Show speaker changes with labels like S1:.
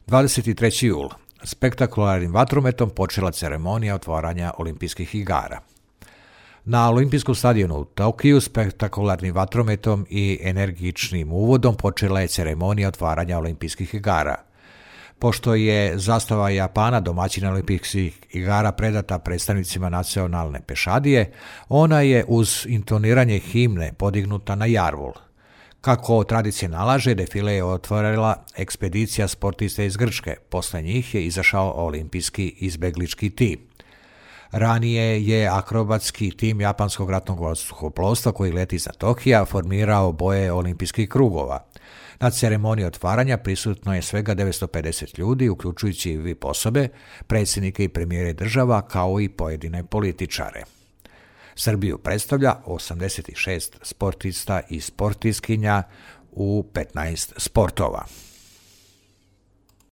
S1: 23. jul. Spektakularnim vatrometom počela ceremonija otvaranja olimpijskih igara. Na olimpijskom stadionu u Tokiju spektakularnim vatrometom i energičnim uvodom počela je ceremonija otvaranja olimpijskih igara. Pošto je zastava Japana domaćina olimpijskih igara predata predstavnicima nacionalne pešadije, ona je uz intoniranje himne podignuta na jarvul. Kako tradicija nalaže, defile je otvorila ekspedicija sportista iz Grčke. Posle njih je izašao olimpijski izbeglički tim. Ranije je akrobatski tim japanskog ratnog vazduhoplovstva koji leti iznad Tokija formirao boje olimpijskih krugova. Na ceremoniji otvaranja prisutno je svega 950 ljudi, uključujući i VIP osobe, predsjednike i premijere država, kao i pojedine političare. Srbiju predstavlja 86 sportista i sportistkinja u 15 sportova.